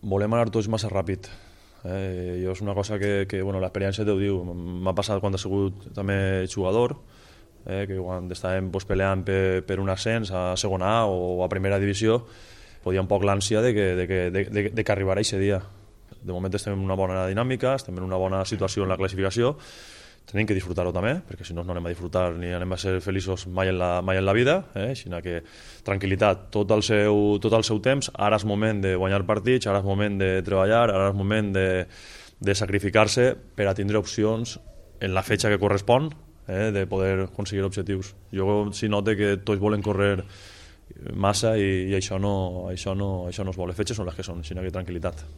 volem anar tots massa ràpid. Jo és una cosa que bueno, l'experiència t'ho diu. M'ha passat quan he sigut també jugador, que quan estàvem peleant per un ascens a segona A o a primera divisió, podia un poc l'ànsia de que arribarà aquest dia. De moment estem en una bona dinàmica, estem en una bona situació en la classificació, tenim que disfrutar-ho també, perquè si no, no anem a disfrutar ni anem a ser feliços mai en la vida, sinó que tranquil·litat, tot el seu temps. Ara és moment de guanyar partits, ara és moment de treballar, ara és moment de sacrificar-se per a tindre opcions en la fetge que correspon, de poder aconseguir objectius. Jo sí note que tots volen córrer massa i això no es vol. Les fetges són les que són, sinó que tranquil·litat.